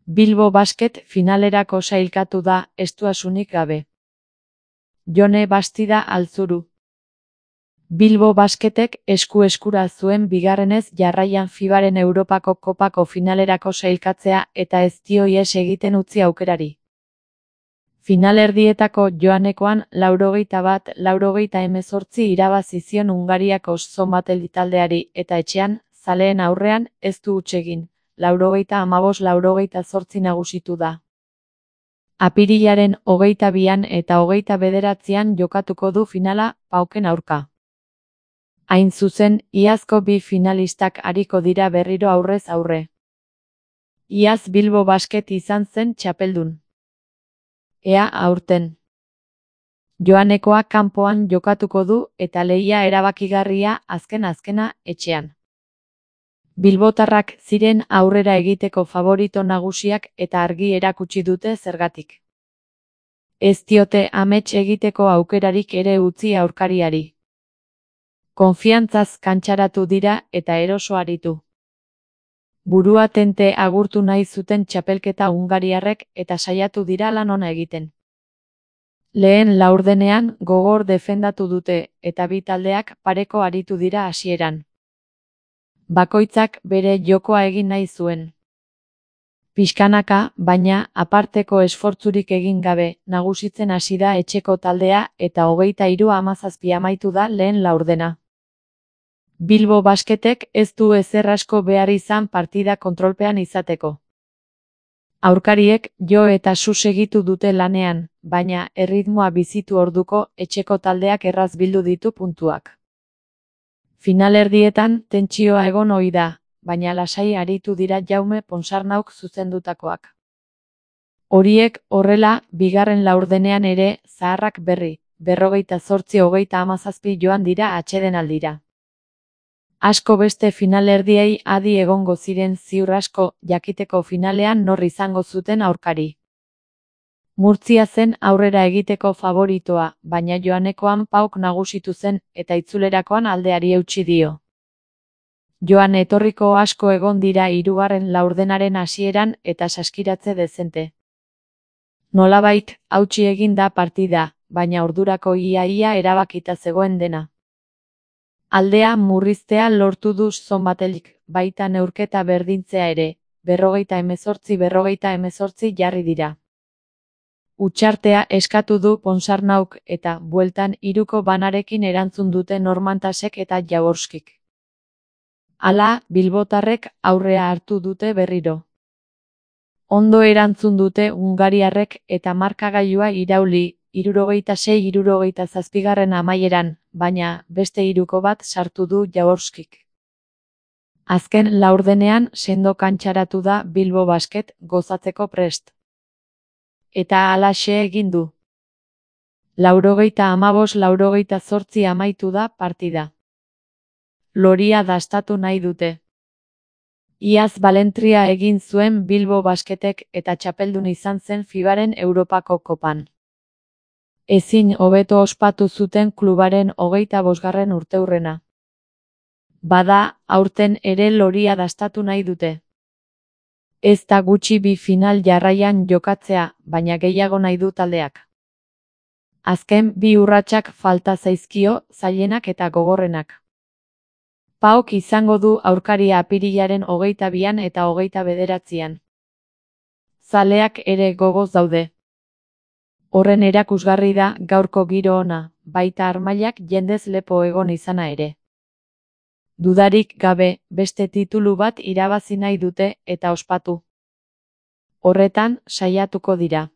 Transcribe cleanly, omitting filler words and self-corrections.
Bilbo Basket finalerako sailkatu da, estuasunik gabe. Jone Bastida Altzuru. Bilbo Basketek esku-eskura zuen bigarrenez jarraian FIBaren Europako Kopako finalerako sailkatzea eta ez dio ihes egiten utzi aukerari. Finalerdietako joanekoan 91-98 irabazi zion Hungariako Szombateli taldeari eta etxean, zaleen aurrean, ez du huts egin, 95-98 nagusitu da. Apirilaren 22an eta 29an jokatuko du finala, Pauken aurka. Hain zuzen, iazko bi finalistak ariko dira berriro aurrez aurre. Iaz Bilbo Basket izan zen txapeldun. Ea aurten. Joanekoa kanpoan jokatuko du eta lehia erabakigarria azkena etxean. Bilbotarrak ziren aurrera egiteko favorito nagusiak eta argi erakutsi dute zergatik. Ez diote amets egiteko aukerarik ere utzi aurkariari. Konfiantzaz kantxaratu dira eta eroso aritu. Burua tente agurtu nahi zuten txapelketa hungariarrek eta saiatu dira lan ona egiten. Lehen laurdenean gogor defendatu dute eta bi taldeak pareko aritu dira hasieran. Bakoitzak bere jokoa egin nahi zuen. Pixkanaka, baina, aparteko esfortzurik egin gabe, nagusitzen hasi da etxeko taldea eta 23-17 amaitu da lehen laurdena. Bilbo Basketek ez du ezer asko behar izan partida kontrolpean izateko. Aurkariek jo eta su segitu dute lanean, baina erritmoa bizitu orduko etxeko taldeak erraz bildu ditu puntuak. Finalerdietan tentsioa egon ohi da, baina lasai aritu dira Jaume Ponsarnauk zuzendutakoak. Horiek horrela, bigarren laurdenean ere, zaharrak berri, 48-37 joan dira atsedenaldira. Asko beste finalerdiei adi egongo ziren ziur asko jakiteko finalean nor izango zuten aurkari. Murtzia zen aurrera egiteko favoritoa, baina joanekoan Pauk nagusitu zen eta itzulerakoan aldeari eutsi dio. Joan etorriko asko egon dira hirugarren laurdenaren hasieran eta saskiratze dezente. Nolabait, hautsi egin da partida, baina ordurako ia erabakita zegoen dena. Aldea murriztea lortu du Szombatelyk, baita neurketa berdintzea ere, 58-48 jarri dira. Hutsartea eskatu du Ponsarnauk eta bueltan 3ko banarekin erantzun dute Normantasek eta Jaworskik. Hala, bilbotarrek aurrea hartu dute berriro. Ondo erantzun dute hungariarrek eta markagailua irauli, 66-67 amaieran, baina beste 3ko bat sartu du Jaworskik. Azken laurdenean sendo kantxaratu da Bilbo Basket gozatzeko prest. Eta halaxe egin du. 95-88 amaitu da partida. Loria dastatu nahi dute. Iaz balentria egin zuen Bilbo Basketek eta txapeldun izan zen FIBaren Europako Kopan. Ezin hobeto ospatu zuten klubaren 25. urteurrena. Bada, aurten ere loria dastatu nahi dute. Ez da gutxi bi final jarraian jokatzea, baina gehiago nahi du taldeak. Azken bi urratsak falta zaizkio, zailenak eta gogorrenak. Pauk izango du aurkaria apirilaren 22an eta 29an. Zaleak ere gogoz daude. Horren erakusgarri da gaurko giro ona, baita armailak jendez lepo egon izana ere. Dudarik gabe, beste titulu bat irabazi nahi dute eta ospatu. Horretan, saiatuko dira.